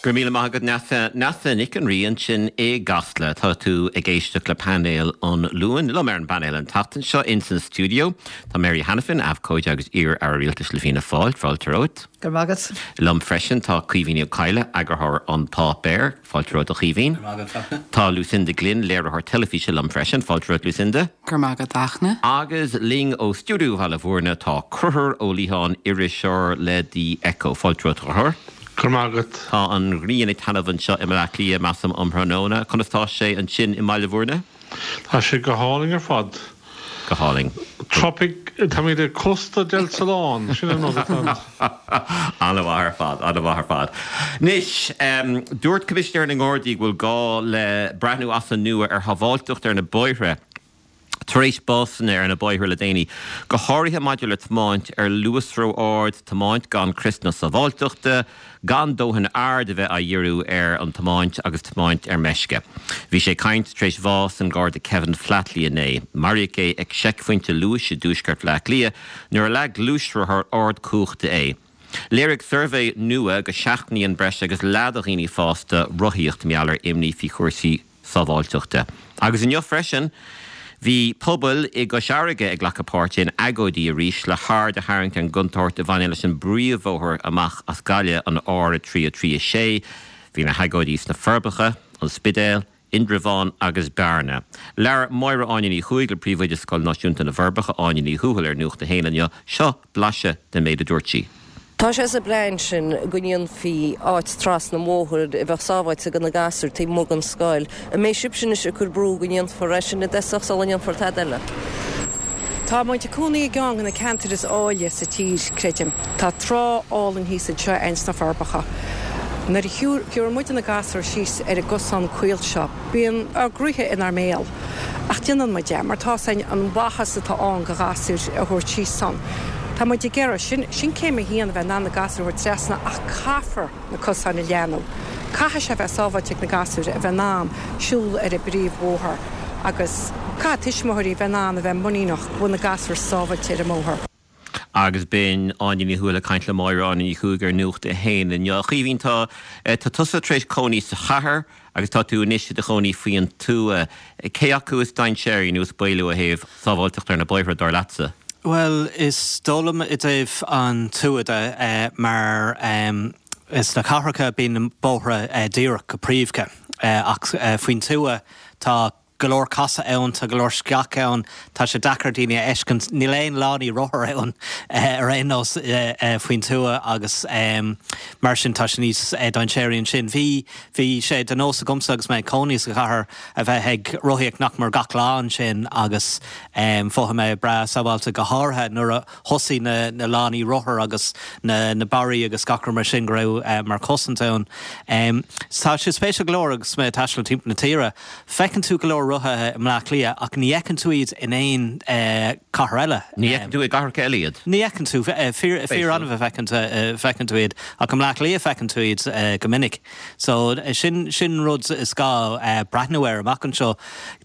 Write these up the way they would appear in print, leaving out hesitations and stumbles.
Go raibh míle maith agat Neasa. Neasa Nic an Rí ansin i gCasla. Tá tú ag éisteacht le Painéal an Luain. Liom ar an bpainéal an tseachtain seo ins an stiúideo tá Mary Hanafin, abhcóide agus iar-aire rialtais le Fianna Fáil. Fáilte romhat. Go raibh maith agat. Liom freisin tá Caoimhín Ó Cadhla, eagarthóir An Páipéar. Fáilte romhat a Chaoimhín. Go raibh maith agat, Fachtna. Tá Lucinda Glynn, léiritheoir teilifíse liom freisin. Fáilte romhat Lucinda. Go raibh maith agat, a Fhachtna. Agus linn ó stiúideo Bhaile Bhúirne tá Conchúr Ó Liatháin, iriseoir le The Echo. Fáilte romhat a Chonchúir. Go raibh maith agat. Tá an ghrian ag taitneamh anseo i mBleá Cliath, measaim, um thráthnóna. Conas tá sé ansin i mBaile Bhúirne? Tá sé go hálainn ar fad. Go hálainn. Tropic, táimid ag Costa del Solán, sin an rud atá ann. An-mhaith ar fad, an-mhaith ar fad. Anois, dúirt Coimisinéir na nGardaí go bhfuil gá le breathnú as an nua ar shábháilteacht ar na bóithre tar éis básanna ar na bóithre le déanaí, go háirithe maidir le tiomáint ar luas ró-ard, tiomáint gan criosanna sábháilteachta, gan dóthain aird a bheith á dhíriú ar an tiomáint agus tiomáint ar meisce. Bhí sé ag caint tar éis bhás an Gharda Kevin Flatley inné. Maraíodh é ag seicphointe luais i dtuaisceart Bhaile Átha Cliath nuair a leag gluaisrothar ardchumhachta é. Léirigh suirbhé nua go seachnaíonn breis agus leath de dhaoine fásta rothaíocht mar gheall ar imní faoi chúrsaí sábháilteachta. Agus inniu freisin, bhí pobail i gCois Fharraige ag glacadh páirte in agóidí arís le haird a tharraingt ar an gcontúirt a bhaineann leis an bpríomhbhóthar amach as Gaillimh, an R3 3 6. Bhí na hagóidí sna Forbacha, An Spidéal, Indreabhán agus Bearna. Labhair Máire Áine Ní Chuaig le Príomhoide Scoil Náisiúnta na bhForbacha, Áine Ní Thuathail ar Nuacht a hAon inniu. Seo blaiseadh den méid a dúirt sí. Tá sé sa bplean sin go ndéanfaí áit trasna an bhóthair a bheadh sábháilte do na gasúir taobh amuigh den scoil. An mbeidh sibhse anois ag cur brú go ndéanfar é sin i dtosach sula ndéanfar tada eile? Tá muid ag cónaí i gceann de na ceantair is áille sa tír, creidim. Tá trá álainn thíos anseo againn sna Forbacha. Nuair a shiúlann muid na gasúir síos ar an gcosán caol seo, Bíonn ár gcroíthe inár mbéal. Ach déanann muid é mar tá 's againn an mhaitheas atá ann do ghasúir a thabhairt síos ann. Tá muid ag iarraidh, sin, sin céim a haon, a bheith in ann na gasúir a thabhairt trasna ach caithfear na cosáin a leathnú. Caithfidh sé a bheith sábháilte ag na gasúir a bheith in ann siúl ar an bpríomhbhóthar agus caithfidh tuismitheoirí a bheith in ann a bheith muiníneach go bhfuil na gasúir sábháilte ar an mbóthar. Agus b'in Áine Ní Thuathail ag caint le Máire Áine Ní Chuaig ar Nuacht a hAon inniu. A Chaoimhín, tá tá tusa tar éis cónaí sa chathair agus tá tú anois i do chónaí faoin tuath. Cé acu is dainséaraí nó is baolaí ó thaobh sábháilteacht ar na bóithre, dar leatsa? Bhuel, is dóigh liom i dtaobh an tuath de, mar sna cathracha bíonn na bóithre díreach go príomha, ach faoin tuath tá go leor casadh ann, tá go leor sceach ann, tá sé deacair daoine a fheiscint, níl aon lánaí rothar ann ar aon nós faoin tuath agus mar sin tá sé níos dainséaraí ansin. Bhí, bhí sé de nós agamsa agus mé ag cónaí sa chathair a bheith ag rothaíocht nach mór gach lá ansin agus mhothaigh mé breá sábháilte go háirithe nuair a thosaigh na na lánaí rothar agus na na barraí agus gach rud mar sin go raibh mar chosaint ann. Tá sé spéisiúil go leor agus mé ag taisteal timpeall na tíre, Feiceann tú go leor rothaithe i mBleá Cliath ach ní fheiceann tú iad in aon chathair eile. Ní fheiceann tú i gcathracha eile iad. Ní fheiceann tú. Fíor-annamh a fheiceann tú iad. Ach i mBleá Cliath feiceann tú iad go minic. So sin sin rud is gá breathnú air amach anseo.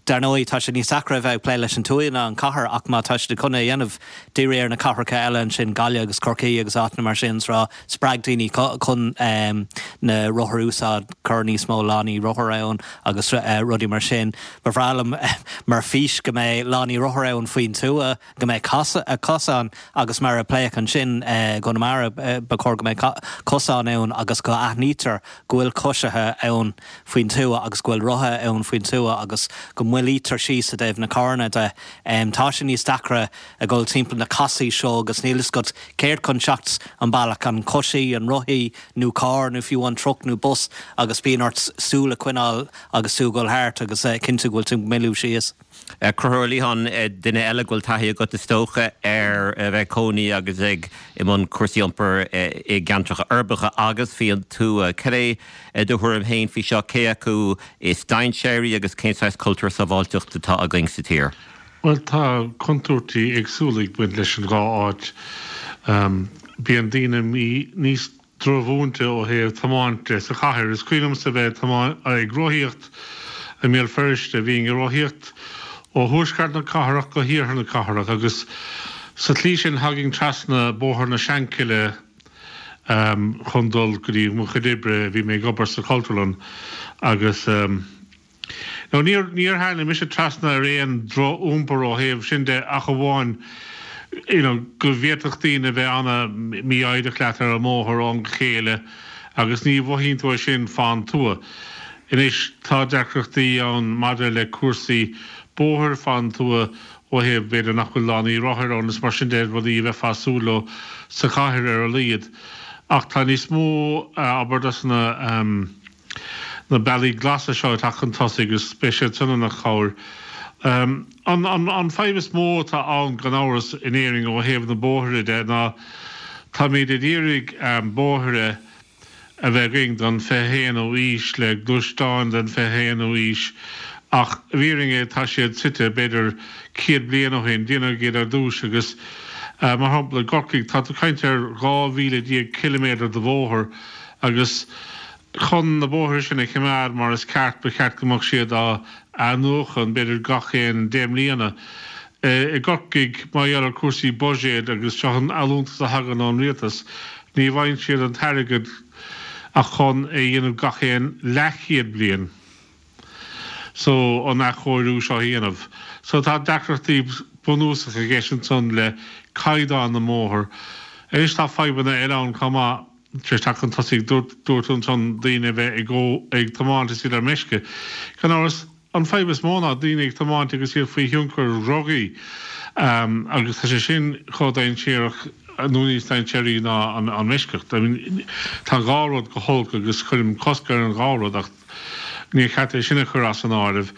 Dar ndóigh tá sé níos deacra a bheith ag plé leis an tuath ná an chathair ach má tá siad chun é a dhéanamh, dírigh ar na cathracha eile ansin, Gaillimh agus Corcaigh agus áiteanna mar sin is rá, Spreag daoine chun na rothair a úsáid, cuir níos mó lánaí rothar ann agus rudaí mar sin. Ba bhreá liom mar fís go mbeidh lánaí rothar ann faoin tuath, go mbeidh cosáin agus mar a pléadh ansin i gConamara, ba chóir go mbeidh cosáin ann agus go aithnítear go bhfuil coisithe ann faoin tuath agus go bhfuil rothaithe ann faoin tuath agus go moillítear síos i dtaobh na carranna de. Tá sé níos deacra ag dul timpeall na casaí seo agus níl fhios agat céard chun teacht an bealach, an coisí, an rothaí nó carr nó fiú an truck nó bus agus bíonn ort súil a choinneáil agus tú ag dul thart agus cinntiú go bhfuil tú ag moilliú síos. Conchúr Ó Liatháin, duine eile go bhfuil taithí agat is dócha ar a bheith ag cónaí agus ag i mbun cúrsaí iompair i gceantracha uirbeacha agus faoin tuath. Cad é do thuairim féin faoi seo, cé acu is dainséaraí agus cén saghas cultúr sábháilteachta atá againn sa tír? Bhuel, tá contúirtí éagsúla ag baint leis an dhá áit. Bíonn daoine níos drochmhúinte ó thaobh tiomáint de sa chathair. Is cuimhin liomsa bheith ag rothaíocht i mBéal Feirste. Bhínn ag rothaíocht ó thuaisceart na cathrach go hiarthar na cathrach agus sa tslí sin thagainn trasna Bóthar na Seanchille. chun dul go dtí mo chuid oibre, bhí mé ag obair sa Chultúrlann agus now níor, níor tháinig mise trasna ar aon droch-iompar ó thaobh sin de ach amháin you know go bhféadfadh daoine a bheith ana-mhífhoighdeach leat ar an mbóthar ó am go chéile agus ní mhothaíonn tú é sin fán tuath. Anois tá deacrachtaí ann maidir le cúrsaí bóthair fán tuath ó thaobh b'fhéidir nach bhfuil lánaí rothair ann is mar sin de, rudaí a bheifeá ag súil leo sa chathair ar a laghad. Ach tá níos mó, abair, dos na na bealaí glasa seo ag teacht chun tosaigh agus beidh siad san ina chabhair. An an fadhb is mó atá ann gan amhras in Éirinn ó thaobh na bóithre de ná táimid ag iarraidh bóithre a bheith againn don 21ú aois le gluaisteáin den 21ú aois ach i bhfírinne tá siad suite b'fhéidir 100 bliain ó shin, déanadh iad ar dtús agus mar shampla i gCorcaigh tá tú ag caint ar 12,000 ciliméadar de bhóthar agus chun na bóithre sin a choimeád mar is ceart ba cheart go mbeadh siad á athnuachan b'fhéidir gach aon 10 mbliana. I gCorcaigh, mar gheall ar chúrsaí buiséid agus seo an allúntas a thagann ón rialtas, ní bhfaigheann siad an t-airgead ach chun é a dhéanamh gach aon leathchéad bliain. So, an athchóiriú seo a dhéanamh. So, tá deacrachtaí bunúsacha i gceist ansan le caighdeán na mbóthar. Anois tá fadhbanna eile ann chomh maith. Tar éis teacht chun tosaigh, dúirt tú ansan daoine a bheith ag ag tiomáint is iad ar meisce. Gan amhras, an fadhb is mó ná daoine ag tiomáint agus iad faoi thionchar dhrugaí agus tá sé sin chomh dainséarach nó níos dainséaraí ná an meisceacht. I mean, tá an dhá rud go holc agus cuirim cosc ar an dhá rud ach níor cheart é sin a chur as an áireamh.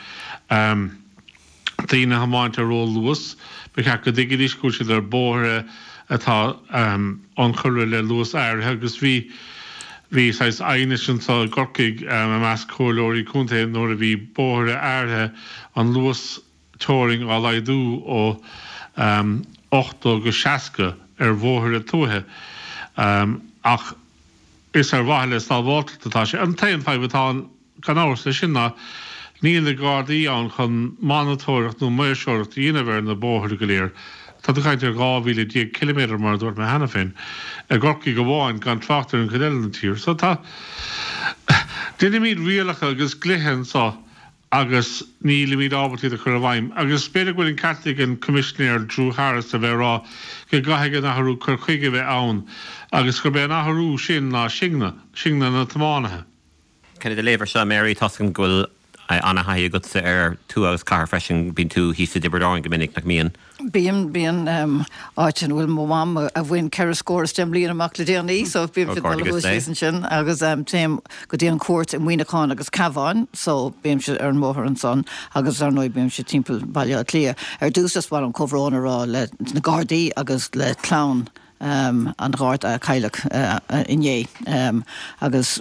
Daoine a thiomáint ar ró-luas, ba cheart go dtuigfidís go bhfuil siad ar bóithre atá ionchurtha le luas áirithe agus bhí bhí saghas aighnis anseo i gCorcaigh i measc comhairleoirí contae nuair a bhí bóithre áirithe an luas teorainn á laghdú ó 80 go 60 ar bhóithre tuaithe ach is ar mhaithe le sábháilteacht atá sé. An t-aon fadhb atá ann Gan amhras leis sin ná níl na Gardaí ann chun monatóireacht nó maoirseoireacht a dhéanamh ar na bóithre go léir. Tá tú ag caint ar 12,000 ciliméadar mar a dúirt mé cheana féin, i gCorcaigh amháin, gan trácht ar an chuid eile den tír. So tá. Déanaimid rialacha agus dlíthe anseo agus nílimid ábalta iad a chur i bhfeidhm. Agus b'fhéidir go bhfuil an ceart ag an Coimisinéir Drew Harris a bheith ag rá go gcaithfidh an athrú cur chuige a bheith ann agus gurb é an athrú sin ná sinne, sinne na tiománaithe. Cén do léamh ar seo, Mary? Tá's agam go bhfuil ana-thaithí agatsa ar tuath agus cathair freisin. Bíonn tú thíos i dTiobraid Árann go minic, nach mbíonn? Bíonn, bíonn. Áit ina bhfuil mo mham a bhain ceithre scór is deich mbliana amach le déanaí, so bímse ag dul thuas síos ansin agus téim go dtí an chúirt i Muineachán agus Cabhán, so bímse ar an mbóthar ansan agus ar ndóigh bímse timpeall Baile Átha Cliath. Ar dtús is mhaith liom comhbhrón a rá le na Gardaí agus le clann an Gharda a cailleadh inné agus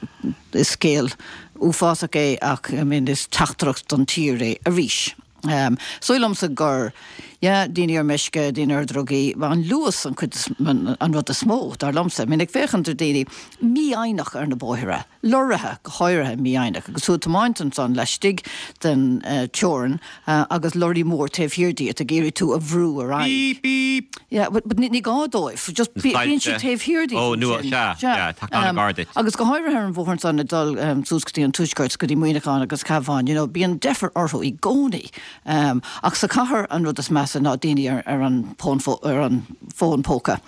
is scéal uafásach é ach I mean is teachtaireacht don tír é arís. Is dóigh liomsa gur, yeah, daoine ar meisce, daoine ar dhrugaí, an luas an chuid is, an rud is mó, dar liomsa. I mean ag féachaint ar daoine mífhoighneach ar na bóithre. lorraithe, go háirithe, mífhoighneach, agus tú ag tiomáint ansan laistigh den teorainn agus lorraí mór taobh thiar díot ag iarraidh tú a bhrú ar aghaidh. Beep beep! Yeah, but ní gá dóibh, just bíonn siad taobh thiar díot ansin. Ó, nó, sea, yeah, tá an-ghar duit. Agus go háirithe ar an bhóthar ansan ag dul suas go dtí an tuaisceart, go dtí Muineachán agus Cabhán, you know, bíonn deifir orthu i gcónaí. Ach sa chathair an rud is measa ná daoine ar an bhfón póca.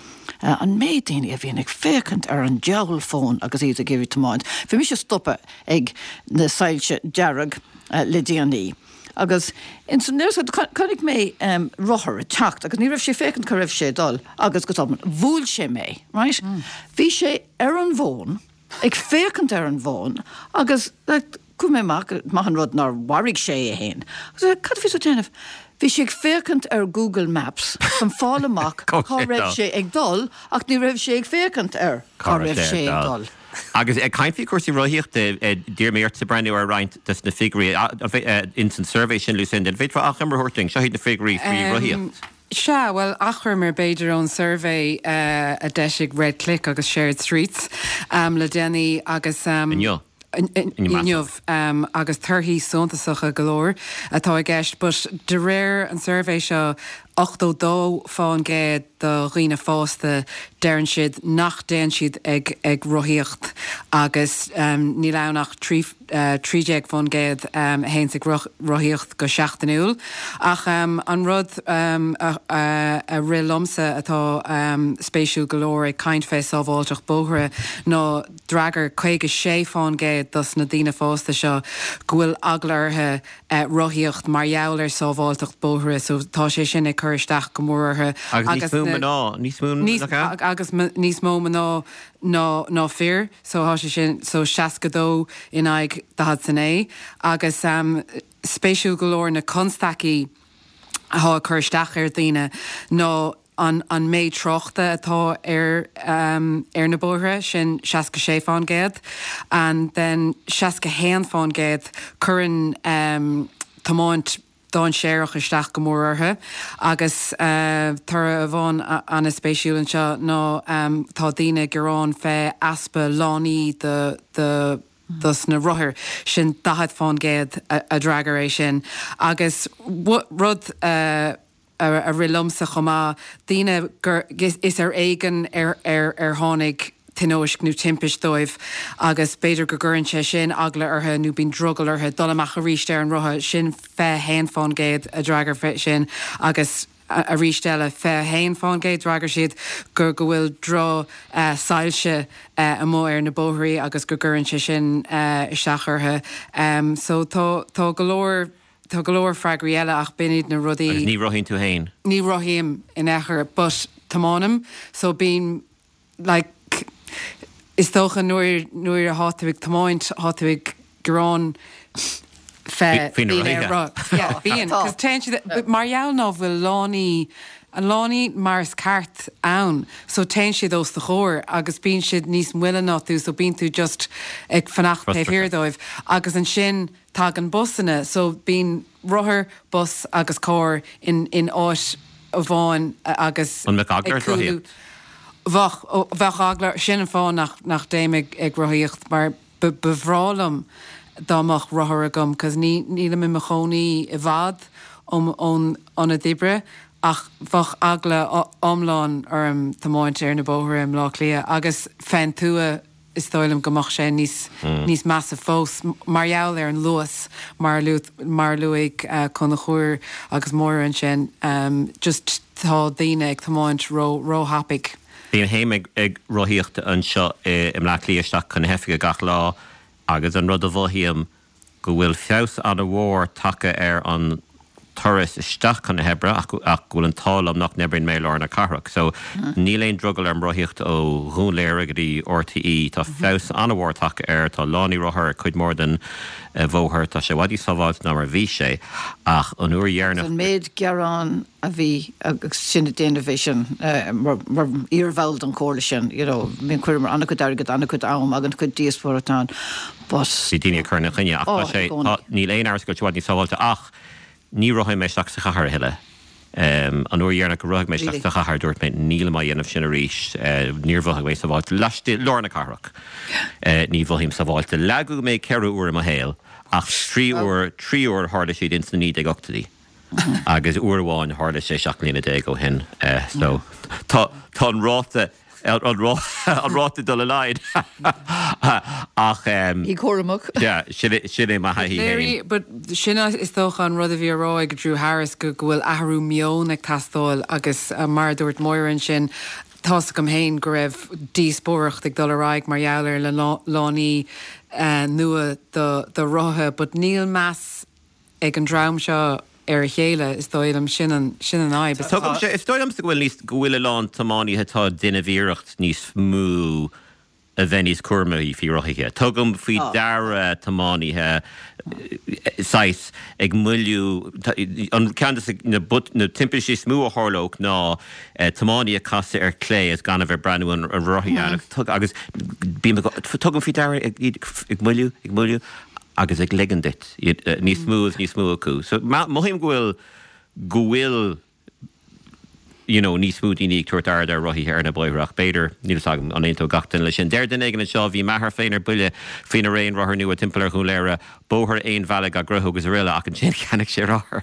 An méid daoine a bhíonn ag féachaint ar an diabhal fón agus iad ag iarraidh tiomáint. Bhí mise stoptha ag na soilse dearg le déanaí agus ansan chonaic mé rothar ag teacht agus ní raibh sé ag féachaint cá raibh sé ag dul agus go tobann bhuail sé mé, right? Bhí sé ar an bhfón. ag féachaint ar an bhfón agus like chuaigh mé amach, maith an rud nár mharaigh sé é fhéin. Agus cad a bhí tú ag déanamh? Bhí sé ag féachaint ar Google Maps chun fáil amach cá raibh sé ag dul ach ní raibh sé ag féachaint ar cá raibh sé ag dul. Agus ag caint faoi chúrsaí rothaíochta, d'iarr mé ortsa breathnú ar roinnt des na figiúirí ins an suirbhé sin, Lucinda. An bhféadfá achoimre a thabhairt dúinn? Seo iad na figiúirí faoi rothaíocht. Sea, bhuel, achoimre b'fhéidir ón suirbhé a d'eisigh Red Click agus Shared Streets le déanaí agus. Inniu. Inniu. Agus torthaí suntasacha go leor atá i gceist. But de réir an suirbhé seo. 82% de dhaoine fásta, deireann siad nach dtéann siad ag ag rothaíocht agus níl ann ach 13% a théanns ag rothaíocht go seachtainiúil. Ach an rud a rith liomsa atá spéisiúil go leor ag caint fé sábháilteacht bóithre ná d'fhreagair 56% dos na daoine fásta seo go bhfuil eagla orthu rothaíocht mar gheall ar sábháilteacht bóithre so tá sé sin ag cur isteach go mór orthu. Agus níos mó mná, níos mó, nach ea? Agus níos mó mná ná ná fir so tá sé sin so 62 in aghaidh 49 agus spéisiúil go leor na constaicí atá ag cur isteach ar dhaoine ná an an méid tráchta atá ar ar na bóithre, sin 66%, and then 61% cuireann tiomáint dainséarach isteach go mór orthu. Agus toradh amháin an-spéisiúil anseo ná tá daoine ag gearán fé easpa lánaí do do dos na rothair, sin 40% a d'fhreagair é sin. Agus rud a a rith liomsa chomh maith, daoine gur, is ar éigean ar ar tháinig tionóisc nó timpist dóibh agus b'fhéidir go gcuireann sé sin eagla orthu nó bíonn drogall orthu dul amach arís ar an rothar, sin 21% a d'fhreagair fé sin agus arís eile 21% d'fhreagair siad go go bhfuil droch soilse amuigh ar na bóithrí agus go gcuireann sé sin isteach orthu. So tá tá go leor. Tá go leor freagraí eile ach b'in iad na rudaí. Agus ní rothaíonn tú fhéin? Ní rothaím in aon chor but tiomáinim so bím like is dócha nuair nuair athá tú ag tiomáint thá tú ag gearán fé Faoi na daoine ar rothaithe. Yeah bíonn cos téann siad mar gheall ná bhfuil lánaí an lánaí mar is ceart ann so téann siad os do chomhair agus bíonn siad níos moille ná tú so bíonn tú just ag fanacht taobh thiar dóibh agus ansin Tagann busanna, so bíonn rothar, bus agus carr in in áit amháin agus An mbeadh eagla ort rothaíocht? Bheadh, bheadh eagla, sin an fáth nach nach dtéim ag ag rothaíocht mar ba ba bhreá liom dá mbeadh rothar agam cos ní nílim i mo chónaí i bhfad ón ón ionad oibre ach bheadh eagla iomlán orm tiomáint ar na bóithre i mBleá Cliath agus fén tuath is dóigh liom go mbeadh sé níos níos measa fós mar gheall ar an luas mar a mar a luaigh Conchúr agus Máire ansin just tá daoine ag tiomáint ró róthapaidh. Bím féin ag ag rothaíocht anseo i mBleá Cliath isteach chun na hoifige gach lá agus an rud a mhothaím go bhfuil feabhas an-mhór tagtha ar an turas isteach chun na hoibre ach go bhfuil an t-ádh liom nach n-oibríonn mé i lár na cathrach. So níl aon drogall orm rothaíocht ó Dhún Laoghaire go dtí RTÉ. Tá feabhas an-mhór tagtha air, tá lánaí rothar ar cuid mhór den bhóthar, tá sé i bhfad níos sábháilte ná mar a bhí sé ach an uair dheireanach. An méid gearán a bhí agus sinn ag déanamh é sin mar iar-bhall den chomhairle sin, you know, bíonn chuireamar an-chuid airgid, an-chuid am, an-chuid díospóireacht ann but. Bhí daoine ag cur ina choinne ach tá sé, tá, níl aon amhras go bhfuil sé i bhfad níos sábháilte ach ní rothaím mé isteach sa chathair a thuilleadh. An uair dheireanach go rothaigh mé isteach sa chathair dúirt mé nílim á dhéanamh sin arís, níor mhothaigh mé sábháilte laistigh, lár na cathrach. Ní mhothaím sábháilte. Leagadh mé 4 uair i mo shaol ach 3 uair, 3 uair tharla siad ins na 1980idí. Agus uair amháin tharla sé 17 mbliana ó shin so tá tá an ráta an ráta ag dul i laghad ach Bí cúramach. yeah sin é sin é mo thaithí féin. But sin is dócha an rud a bhí á rá ag Drew Harris go go bhfuil athrú meoin ag teastáil agus mar a dúirt Máire ansin tá's agam féin go raibh díospóireacht ag dul ar aghaidh mar gheall ar na lánaí nua do do rothaithe but níl meas ag an dream seo ar a chéile, is dóigh liom. Sin an, sin an fhadhb. Is tuigimse, is dóigh liomsa go bhfuil níos, go bhfuil a lán tiománaithe atá ag déanamh iarracht níos mó a bheith níos cúramaí faoi rothaithe. Tugaim faoi deara tiománaithe saghas ag moilliú, an ceann de na, na timpistí is mó a tharlódh ná tiománaí ag casadh ar clé is gan a bheith ag breathnú an raibh rothaí ann agus bím ag, tugaim faoi deara iad ag moilliú, ag moilliú agus ag ligean duit níos mó is níos mó acu. So mothaím go bhfuil, go bhfuil. you know, níos mó daoine ag tabhairt aird ar rothaithe ar na bóithre ach b'fhéidir, níl fhios agam, an aontódh gach duine leis sin. Deir duine éigin anseo, bhí m'athair féin ar buile faoi na raon rothar nua timpeall ar Dhún Laoghaire, bóthar aon bhealaigh á gcruthú agus araile ach ansin cheannaigh sé rothar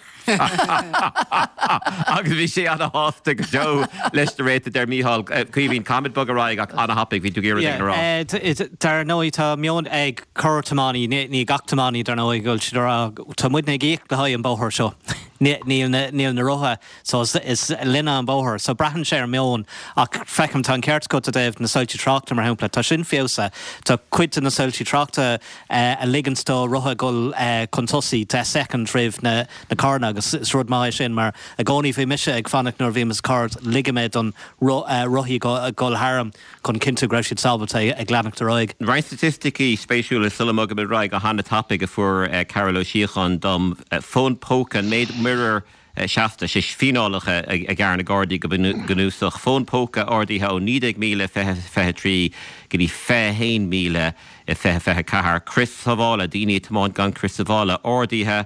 agus bhí sé ana-shásta go deo leis na raonta, deir Mícheál. Caoimhín, caithfimid bogadh ar aghaidh ach ana-thapaidh, bhí tú ag iarraidh rud éigin a rá. Dar ndóigh tá meon ag corr-tiománaí, ní gach tiománaí dar ndóigh, go bhfuil siad ag rá tá muidne ag íoc le haghaidh an bóthar seo, níl na rothaithe So is linne an bóthar. So braitheann sé ar meon. Ach feicim, tá an ceart agat i dtaobh na soilsí tráchta, mar shampla. Tá sin feabhsaithe. Tá cuid de na soilsí tráchta a ligeanns do rothaithe dul chun tosaigh 10 soicind roimh na carranna agus is rud maith é sin mar i gcónaí bhí mise ag fanacht nuair a bhím sa charr ligfidh mé don rothaí dul tharam chun cinntiú go raibh siad sábháilte ag leanacht ar aghaidh. Roinnt staitisticí spéisiúla sula mbogaimid ar aghaidh go han-tapaidh a fuair Carol Ó Síocháin dom. Fón póca, an méid muirear seasta, sé fíneálacha a ghearr na Gardaí go bunúsach. Fón póca ardaithe ó 19,000 i 2023 go dtí 21,000 i 2024. Crios sábhála, daoine ag tiomáint gan crios sábhála, ardaithe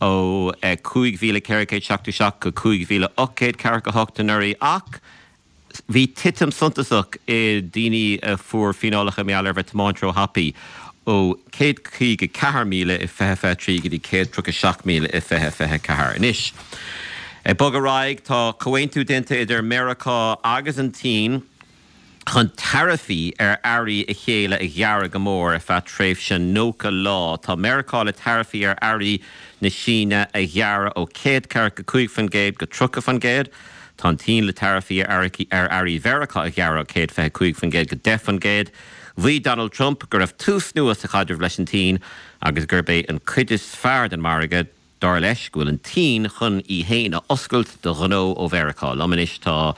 ó 5,477 go 5,848 anuraidh ach Bhí titim suntasach i ndaoine a fuair fíneálacha mar gheall ar bheith tiomáint ró-thapaidh, ó 154,000 i 2023 go dtí 137,000 i 2024. Anois, ag bogadh ar aghaidh, tá comhaontú déanta idir Meiriceá agus an tSín chun taraifí ar earraí a chéile a ghearradh go mór ar feadh tréimhse 90 lá. Tá Meiriceá le taraifí ar earraí na Síne a ghearradh ó 145% go 30%. Tá an tSín le taraifí ar earraí Mheiriceá a ghearradh ó 125% go 10%. Mhaígh Donald Trump go raibh tús nua sa chaidreamh leis an tSín agus gurb é an cuid is fearr den mhargadh, dar leis, go bhfuil an tSín chun í féin a oscailt do ghnó ó Mheiriceá. Liom anois tá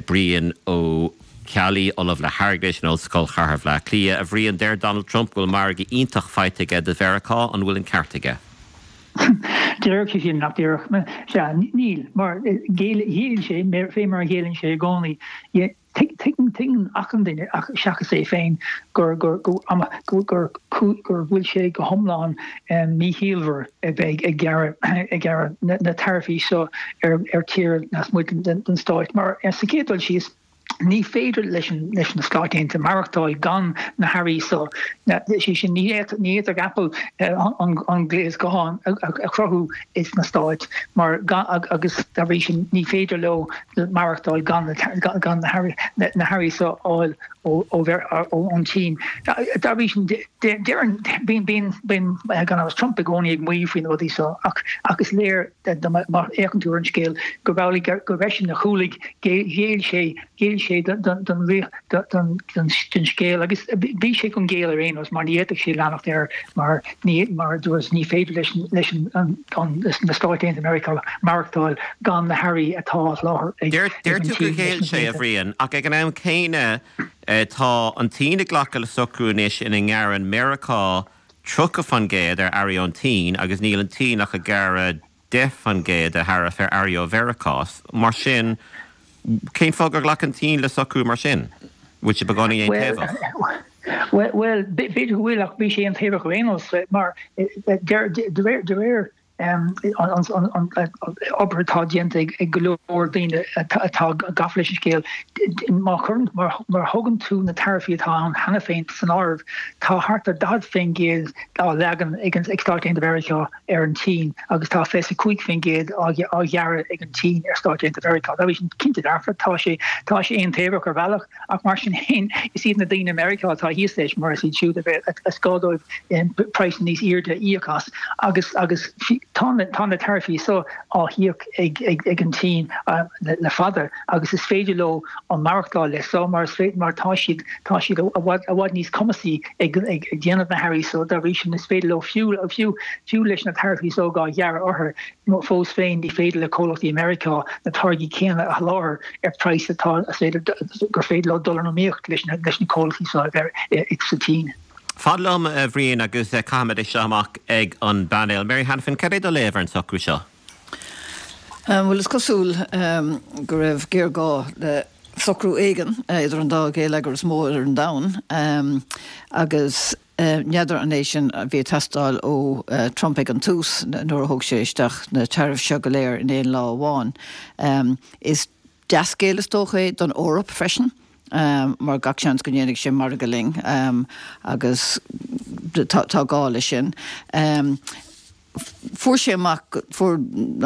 Brian Ó Ceallaigh, Ollamh le hAirgeadas in Ollscoil Chathair Bhaile Átha Cliath. A Bhriain, deir Donald Trump go bhfuil margadh iontach faighte aige do Mheiriceá. An bhfuil an ceart aige? Déarfadh sé sin, nach déarfadh? Sea, níl, mar ghéill sé, fé mar a ghéilleann sé i gcónaí. Tuigeann achan duine, seachas é féin, gur gur gur gur bhfuil sé go hiomlán míchiallmhar a bheith ag gearradh na taraifí seo ar tír lasmuigh den Stáit. Mar sa chéad dul síos, Ní féidir leis leis na Stáit Aontaithe maireachtáil gan na hearraí seo. Sé sin, ní fhéadfadh Apple an gléas gutháin a chruthú sna Stáit mar agus dá bhrí sin ní féidir leo maireachtáil gan gan na hearraí seo a fháil ón tSín. Dá bhrí sin, deireann, bíonn bíonn gan amhras Trump i gcónaí ag maíomh faoi na rudaí seo ach ach is léir má fhéachann tú ar an scéal gurb amhlaidh gurb eisean a chúlaigh Ghéill sé, ghéill sé don don scéal agus bhí sé chun géilleadh ar aon nós mar ní fhéadfadh sé leanacht air mar ní, mar a dúras, ní féidir leis leis an na Stáit Aontaithe Meiriceá maireachtáil gan na hearraí atá á sholáthar ag Deir an tú gur Tsín leis ghéill na sé, a blianta. Bhriain, ach ag an am céanna tá an tSín ag glacadh le socrú anois ina ngearrann Meiriceá 30% ar earraí ón tSín agus níl an tSín ach ag gearradh 10% de tharaif ar earraí ó Mheiriceá. Mar sin, cén fáth gur ghlac an tSín le socrú mar sin? Bhfuil sé beagáinín aontaobhach? Bhuel, b'fhéidir go bhfuil, ach bhí sé aontaobhach ar aon nós, mar de réir an obair atá déanta ag go leor daoine atá gafa leis an scéal, má chuireann, má thugann tú na taraifí atá ann cheana féin san áireamh, tá thart ar 40% á leagan ag Stáit Aontaithe Mheiriceá ar an tSín agus tá 25% á ghearradh ag an tSín ar Stáit Aontaithe Mheiriceá. Dá bhrí sin, cinnte dearfa, tá sé tá sé aontaobhach ar bhealach, ach mar sin féin, is iad na daoine i Meiriceá atá thíos leis mar is iad siúd a is gá dóibh praghas níos airde a íoc as agus agus tá na tá na taraifí seo á híoc ag ag ag an tSín le fada agus is féidir leo an maireachtáil leis seo mar is féidir mar tá siad tá siad i bhfad i bhfad níos cumasaí ag déanamh na hearraí so dá bhrí sin is féidir leo fiú fiú fiú leis na taraifí so á ghearradh orthu fós féin ní féidir le comhlachtaí i Meiriceá na táirgí céanna a sholáthar ar praghas atá is féidir gur féidir leo dul in iomaíocht leis na leis na comhlachtaí seo sa tSín. Fan liom, a Bhriain, agus caithfimid é seo amach ag an bpainéal. Mary Hanafin, cad é do léamh ar an socrú seo? Bhuel, is cosúil go raibh géarghá le socrú éigin idir an dá gheilleagar is mó ar an domhan agus n'fheadar an é sin a bhí ag teastáil ó Trump ag an tús nuair a thóg sé isteach na tariffs seo go léir in aon lá amháin. Is. Dea-scéal is dócha é don Eoraip freisin mar gach seans go ndéanfaidh sé margadh linn agus tá gá leis sin. Fuair sé amach, fuair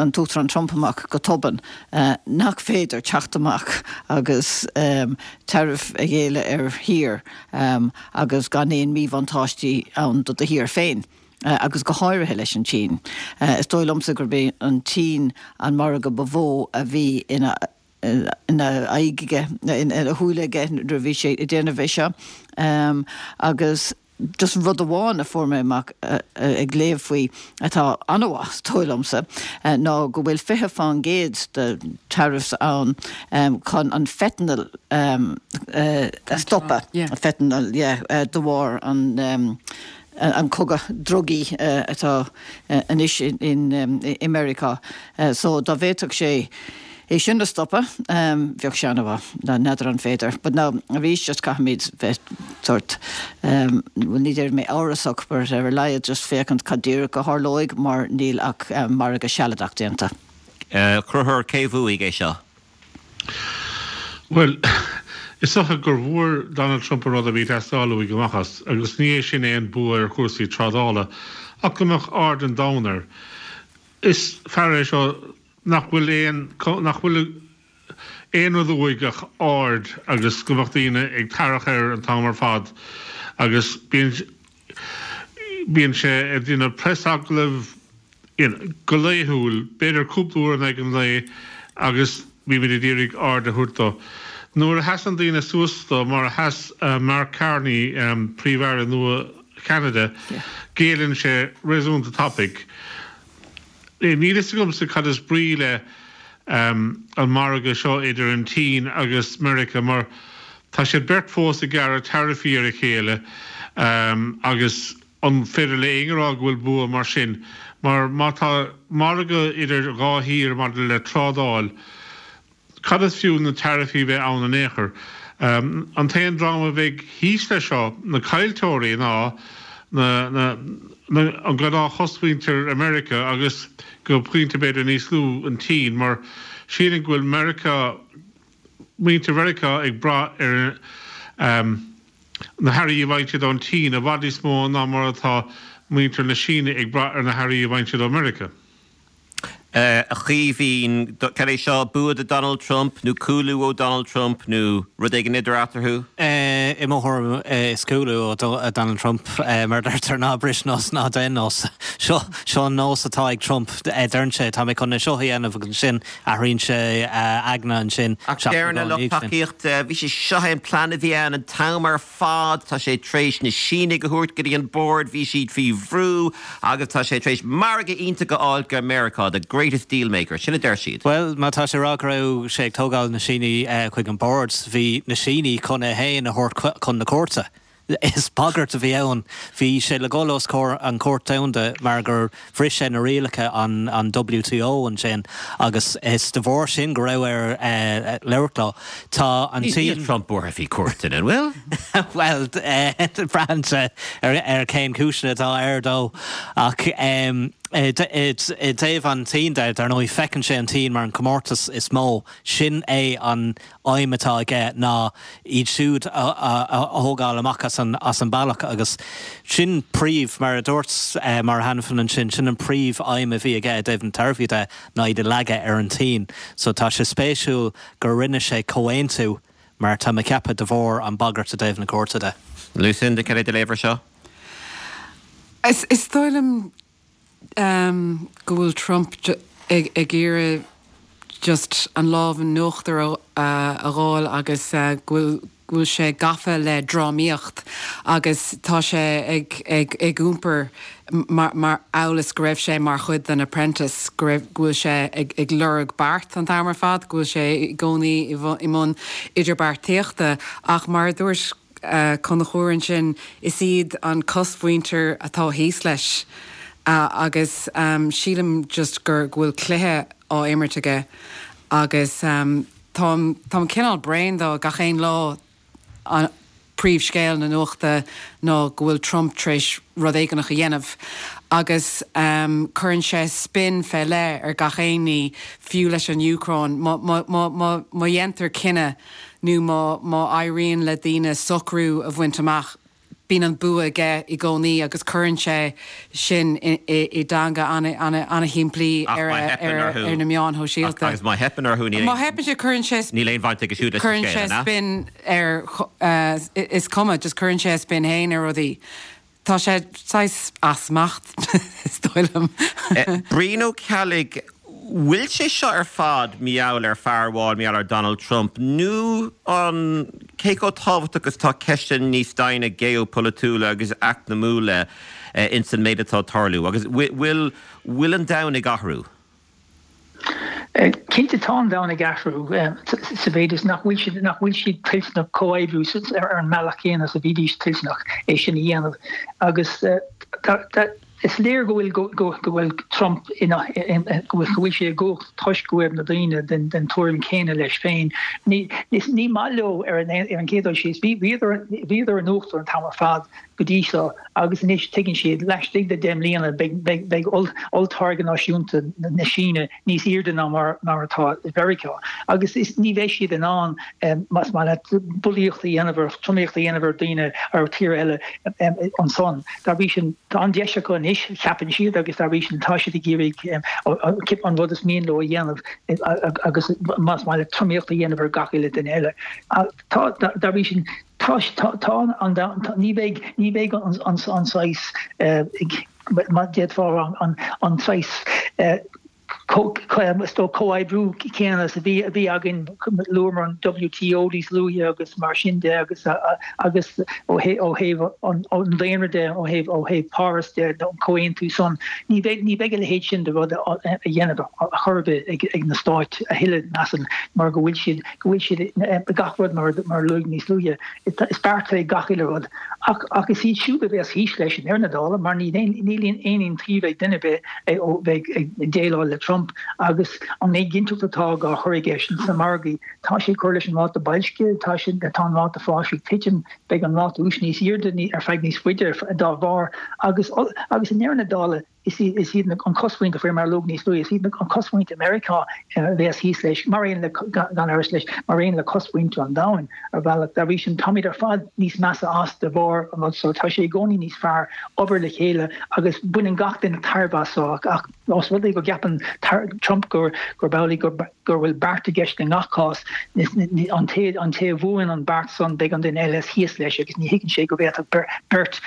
an tUachtarán Trump amach go tobann nach féidir teacht amach agus tariff a ghéilleadh ar thír agus gan aon míbhuntáistí ann do do thír féin. agus go háirithe leis an tSín. Is dóigh liomsa gurb é an tSín an margadh ba mhó a bhí ina ina aghaidh aige, ina shúile aige nuair a bhí sé ag déanamh é seo. Agus just rud amháin a fuair mé amach ag léamh faoi atá an-mhaith, is dóigh liomsa, ná go bhfuil 20% de tariffs ann chun an fentanyl a stopadh, fentanyl, yeah, de bharr an an cogadh drugaí atá anois i Meiriceá. So dá bhféadfadh sé é sin a stopadh, bheadh sé an-mhaith. N'fheadar an féidir. But now, arís, just caithfimid bheith sórt, bhuel ní déarfaidh mé amhrasach, but ar a laghad just féachaint cad díreach a tharlóidh mar níl ach margadh sealadach déanta. Conchúr, cé bhuaigh é seo? Bhuel, is dócha gur bhfuair Donald Trump an rud a bhí ag teastáil uaidh amach as, agus ní é sin aon bua ar chúrsaí trádála, ach go mbeadh aird an domhain air. Is fear é seo nach bhfuil aon, nach bhfuil aon rud uaidh ach aird agus go mbeadh daoine ag tarrac air an t-am ar fad agus bíonn, bíonn sé ag déanamh preasagallamh, go laethúil, b'fhéidir cúpla uair in aghaidh an lae agus bímid ag iarraidh aird a thabhairt dó. Nuair a sheasann daoine suas dó, mar a sheas Mark Carney, Príomh-Aire nua Cheanada, géilleann sé réasúnta tapaidh. Níl fhios agamsa cad is brí le an margadh seo idir an tSín agus Meiriceá mar tá siad beirt fós ag gearradh taraifí ar a chéile agus An féidir le éinne a rá go bhfuil bua mar sin? Mar má tá margadh idir dhá thír maidir le trádáil, cad is fiú na taraifí bheith ann in aon chor? An t-aon dream a bheidh thíos leis seo, na caillteoirí, ná na an gnáth-chosmhuintir i Meiriceá agus go pointe b'fhéidir níos lú an tSín mar sílim go bhfuil Meiriceá, muintir Mheiriceá ag brath ar na hearraí a bhfaigheann siad ón tSín i bhfad níos mó ná mar atá muintir na Síne ag brath ar na hearraí a bhfaigheann siad ó Mheiriceá. A Chaoimhín, cad é seo, bua do Donald Trump nó cúlú ó Donald Trump nó rud éigin idir eatarthu? I mo thuairim is cúlú ó Donald Trump, mar a deirtear, ná bris nós ná déan nós. Seo, seo an nós atá ag Trump, deireann sé, tá mé chun é seo a dhéanamh agus ansin Athraíonn sé a aigne ansin. Ach deireann a lucht tacaíochta, bhí sé, seo é an plean a bhí ann an t-am ar fad, tá sé tar éis na Sínigh a thabhairt go dtí an bord, bhí siad faoi bhrú agus tá sé tar éis margadh iontach a fháil go Meiriceá, the greatest deal maker, sin a deir siad. Bhuel, má tá sé ag rá go raibh sé ag tógáil na Sínigh chuig an bord, bhí na Sínigh chun é féin a thabhairt chun na cúirte. Is bagairt a bhí ann. Bhí sé le dhul os comhair an Chúirt Domhanda mar gur bhris sé na rialacha an WTO ansin agus is de bharr sin go raibh air labhairt leo. Tá an Níl Trump buartha faoi cúirteanna, an bhfuil? Bhuel, braitheann sé ar cén cúiseanna atá air dó. Ach i dtaobh an tSín de, dar ndóigh, feiceann sé an tSín mar an comórtas is mó. Sin é an aidhm atá aige ná iad siúd a thógáil amach as an bealach agus sin príomh, mar a dúirt Máire Hanafin ansin, sin an príomh aidhm a bhí aige i dtaobh na taraifí de ná iad a leagadh ar an tSín. So tá sé spéisiúil gur rinne sé comhaontú mar tá mé ag ceapadh de bharr an bagairt i dtaobh na cúirte de. Lucinda, cad é do léamh ar seo? Is dóigh liom go bhfuil Trump ag iarraidh just an lámh in uachtar a fháil agus go bhfuil go bhfuil sé gafa le drámaíocht agus tá sé ag ag ag iompar mar mar amhail is go raibh sé mar chuid den Apprentice, go raibh go bhfuil sé ag ag lorg beart an t-am ar fad, go bhfuil sé i gcónaí i mbun idirbheartaíochta ach mar a dúirt Conchúr ansin, is iad an cosmhuintir atá thíos leis agus sílim just gur go bhfuil cluiche á imirt aige agus táim táim cineál bréan dó gach aon lá an príomhscéal na nuachta ná go bhfuil Trump tar éis rud éigineach a dhéanamh. Agus cuireann sé spin fé leith ar gach aon ní, fiú leis an Úcráin. Má, má, má, má, má dhéantar cinneadh nó má, má éiríonn le daoine socrú a bhaint amach, bíonn an bua aige i gcónaí agus cuireann sé sin i dteanga an-shimplí ar na meáin shóisialta. Agus má theipeann orthu, níl aon. Má theipeann sé, cuireann sé. Níl aon bhaint aige siúd leis an scéal, an ea? Cuireann sé spin ar, is cuma, just cuireann sé a spin féin ar rudaí. Tá sé saghas as smacht, is dóigh liom. Brian Ó Ceallaigh, Bhfuil sé seo ar fad mar gheall ar fear amháin, mar gheall ar Donald Trump, nó an cé chomh tábhachtach is atá ceisteanna níos doimhne geopolaitiúla agus eacnamúla ins an méid atá ag tarlú? Agus bhfuil bhfuil an domhan ag athrú? Cinnte tá an domhan ag athrú sa mhéid is nach bhfuil siad nach bhfuil siad toilteanach comhoibriú ar an mbealach céanna is a bhídís toilteanach é sin a dhéanamh agus tá Is léir go bhfuil go bhfuil Trump ina go bhfuil sé i gcumhacht toisc go bhfuil na daoine den den tuairim céanna leis féin. Ní ní maith leo ar an ar an gcéad dul síos. Bhí bhíodar bhíodar in uachtar an t-am ar fad go dtí seo agus anois tuigeann siad laistigh de 10 mbliana beidh beidh beidh olltáirge náisiúnta na Síne níos airde ná mar mar atá i Mheiriceá agus is ní bheidh siad in ann más maith leat bulaíocht a dhéanamh ar tromaíocht a dhéanamh ar daoine ar tír eile ansan. Dá bhrí sin, tá an deis acu anois, ceapann siad, agus dá bhrí sin tá siad ag iarraidh an rud is mian leo a dhéanamh agus más maith leat tromaíocht a dhéanamh ar gach uile duine eile. Tá, dá bhrí sin, tá, tá an, ní bheidh, ní bheidh an saghas, má d'fhéadfá a rá, an saghas, is dóigh, comhoibriú céanna is a bhí a bhí againn, luamar an WTO níos luaithe agus mar sin de agus agus ó thaobh an daonra de, ó thaobh ó thaobh Páras de, an comhaontú san, ní bheidh ní bheidh a leithéid sin de rud a dhéanamh ar chor ar bith ag ag na Stáit a thuilleadh, measaim, mar go bhfuil siad go bhfuil siad gach rud mar mar a luadh níos luaithe, is beart é gach uile rud. Ach ach is iad siúd a bheas thíos leis i ndeireadh na dála mar níl aon níl aon iontaoibh ag duine ar bith ó bheith ag déileáil le Trump agus an éiginnteacht atá á chur aige sna margaí. Tá sé ag cur leis an ráta boilscithe, tá sé tá an ráta fáis ag titim, beidh an ráta úis níos airde ar feadh níos faide dá bharr agus agus i ndeireadh na dála Is iad an cosmhuintir, faoi mar a luadh níos luaithe, is iad an cosmhuintir Meiriceá a bheas thíos leis, mar aon le, gan amhras leis, mar aon le cosmhuintir an domhain, ar bhealach. Dá bhrí sin, táimid ar fad níos measa as de bharr an rud seo. Tá sé i gcónaí níos fearr obair le chéile agus baineann gach duine tairbhe as seo ach ós rud é go gceapann Trump gurb amhlaidh go go bhfuil beart i gceist i ngach cás, an té an té a bhuann an beart san beidh an duine eile thíos leis agus ní thuigeann sé go bhféadfadh beirt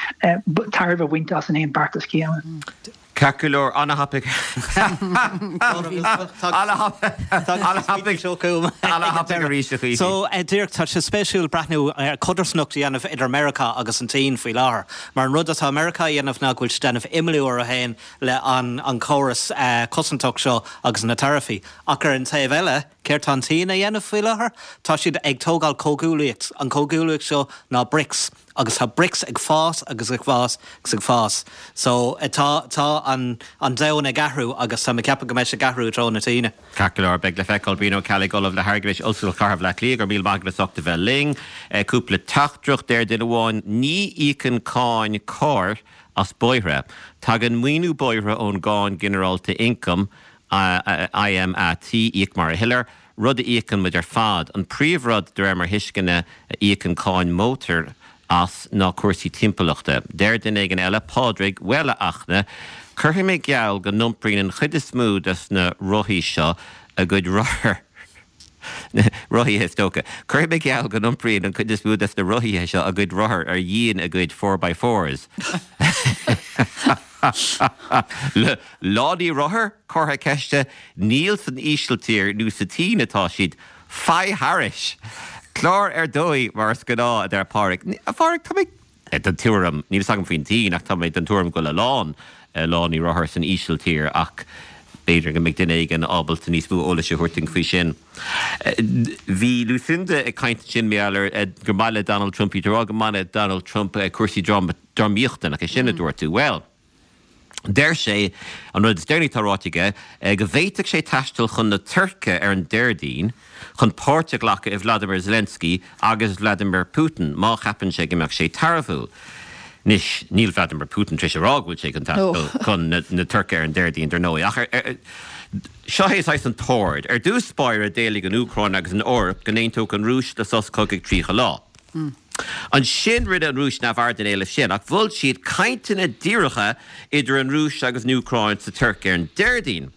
tairbhe a bhaint as an aon beartas céanna. Ceart go leor, ana-thapaidh. Ana-thapaidh arís a Chaoimhín. So, díreach, tá sé spéisiúil breathnú ar codarsnacht a dhéanamh idir Meiriceá agus an tSín faoi láthair. Mar an rud atá Meiriceá a dhéanamh ná go bhfuil siad ag déanamh imeallú orthu féin le an córas cosantach seo agus na taraifí. Ach ar an taobh eile, céard tá an tSín a dhéanamh faoi láthair? Tá siad ag tógáil comhghuaillíocht. An comhghuaillíocht seo ná Brics. Agus tá Brics ag fás agus ag fás agus ag fás. So, tá, tá an, an domhan ag athrú agus tá mé ag ceapadh go mbeidh sé ag athrú i dtreo na Síne. Ceart go leor, beidh le feiceáil. Brian Ó Ceallaigh, Ollamh le hAirgeadas, Ollscoil Chathair Bhaile Átha Cliath, go raibh míle maith agat as ucht a bheith linn. Cúpla teachtaireacht, deir duine amháin, ní íocann cáin cairr as bóithre. Tagann maoiniú bóithre ón gcáin ginearálta ioncaim, ÍMAT, íoc mar a thuillir, rud a íocann muid ar fad. An príomhrud, de réir mo thuisceana, a íocann cáin mótair as ná cúrsaí timpeallachta. Deir duine éigin eile, Pádraig, Bhuel, a Fhachtna, cuirfidh mé geall go n-iompraíonn an chuid is mó des na rothaí seo a gcuid rothar. Rothaithe, is dócha. Cuirfidh mé geall go n-iompraíonn an chuid is mó des na rothaithe seo a gcuid rothar ar dhíon a gcuid four by fours. Lánaí rothar? Comhartha ceiste. Níl san Ísiltír nó sa tSín atá siad. Faigh thairis! Clár ar dóigh, mar is gnáth, a deir Pádraig. A Phádraig, tá mé den tuairim, níl fhios agam faoin tSín, ach tá mé den tuairim go bhfuil a lán lánaí rothar san Ísiltír ach b'fhéidir go mbeidh duine éigin ábalta níos mó eolais a thabhairt dúinn faoi sin. Bhí Lucinda ag caint ansin mar gheall ar gur maith le Donald Trump, bhí tú ag rá gur maith le Donald Trump cúrsaí drámaíochta, nach é sin a dúirt tú? Bhuel, Deir sé, an rud is deireanaí atá ráite aige, go bhféadfadh sé taisteal chun na Tuirce ar an Déardaoin chun páirt a ghlacadh i Vladimir Zelensky agus Vladimir Putin má cheapann sé go mbeadh sé tairbhiúil. Anois, níl Vladimir Putin tar éis a rá go bhfuil sé chun taisteal chun na Tuirce ar an Déardaoin, dar ndóigh, ach seo é saghas an t-ord. Ar dtús báire, d'éiligh an Úcráin agus an Eoraip go n-aontódh an Rúis le sos cogaidh 30 lá. Ansin rinne an Rúis neamhaird den éileamh sin, ach mhol siad cainteanna díreacha idir an Rúis agus an Úcráin sa Tuirc ar an Déardaoin.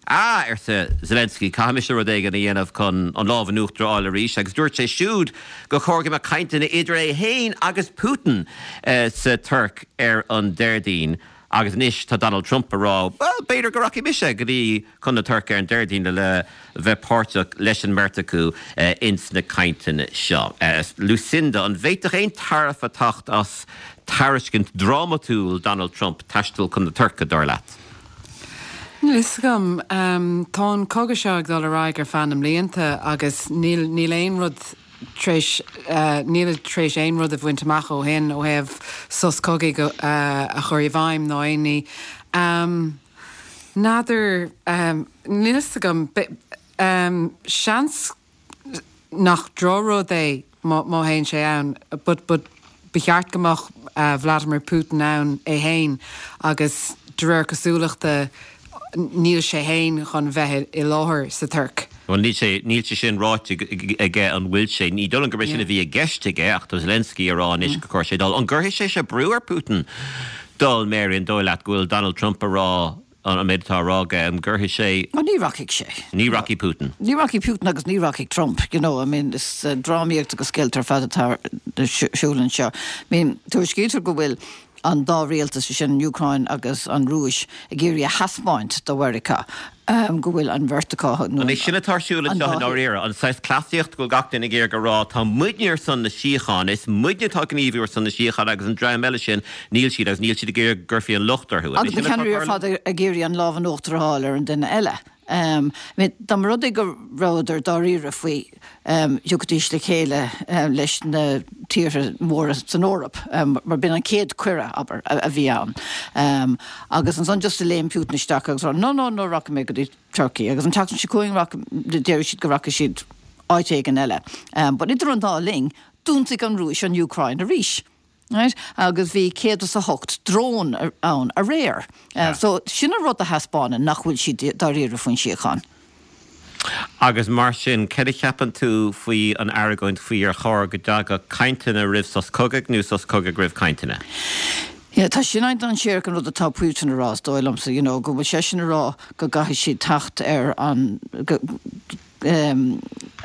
Ah, arsa Zelensky, caithfidh mise rud éigin a dhéanamh chun an lámh in uachtar a fháil arís agus dúirt sé siúd gur chóir go mbeadh cainteanna idir é féin agus Putin sa Tuirc ar an Déardaoin agus anois tá Donald Trump ag rá, bhuel, b'fhéidir go rachaidh mise go dtí chun na Tuirce ar an Déardaoin le bheith páirteach leis an mbeirt acu ins na cainteanna seo. Lucinda, an bhféadfadh aon tairbhe teacht as tairiscint drámatúil Donald Trump taisteal chun na Tuirce, dar leat? Níl fhios agam. Tá an cogadh seo ag dul ar aghaidh ar feadh na mblianta agus níl, níl aon rud tar éis, níl tar éis aon rud a bhaint amach ó shin ó thaobh sos cogaidh a chur i bhfeidhm ná aon ní. N'fheadar, níl fhios agam. Seans nach drochrud é má théann sé ann but but ba cheart go mbeadh Vladimir Putin ann é fhéin agus de réir cosúlachta níl sé fhéin chun bheith i láthair sa Tuirc. Bhuel níl sé, níl sé sin ráite aige an bhfuil sé. Ní dóigh liom gurb é sin a bhí i gceist aige ach tá Zelensky ag rá anois gur chóir sé dul. An gcuirfidh sé seo brú ar Putin dul, Mary, an dóigh leat go bhfuil Donald Trump ag rá an méid atá á rá aige, an gcuirfidh sé. Ó, ní rachaidh sé. Ní rachaidh Putin. Ní rachaidh Putin agus ní rachaidh Trump, you know, I mean, is drámaíocht agus scéalta ar fad atá ar siúl anseo. I mean, tuairiscítear go bhfuil an dá rialtas, sé sin an Úcráin agus an Rúis, ag iarraidh a thaispeáint do Mheiriceá go bhfuil an bheirt acu nó An é sin atá ar siúl anseo i ndáiríre? An saghas cleasaíocht go bhfuil gach duine ag iarraidh a rá tá muidne ar son na síochána, is muidne atá ag gníomhú ar son na síochána agus an dream eile sin, níl siad agus níl siad ag iarraidh go gcuirfí an locht orthu. An é Agus na sin atá ceannairí ar tarlú? fad ag iarraidh an lámh in uachtar a fháil ar an duine eile. I mean, dá mba rud é go rabhadar dáiríre faoi, thiocfaidís le chéile leis na tíortha móra san Eoraip, mar b'in an chéad cuireadh, abair, a bhí ann. Agus ansan just a léim Putin isteach agus rá, no, no, no, rachaidh mé go dtí Turkey. Agus an tseachtain seo chugainn, déarfaidh siad go rachaidh siad áit éigin eile. But idir an dá linn, d'ionsaigh an Rúis an Úcráin arís. Right? Agus bhí 108 drón ann aréir. So sin an rud a thaispeánann nach bhfuil siad dáiríre faoin síocháin. Agus mar sin, céard a cheapann tú faoi an argóint faoi ar chóir go dtagadh cainteanna roimh sos cogaidh nó sos cogaidh roimh cainteanna? Yeah, tá sin an-dainséarach an rud atá Putin a rá, is dóigh liomsa, you know, go bhfuil seisean a rá go gcaithfidh siad teacht ar an,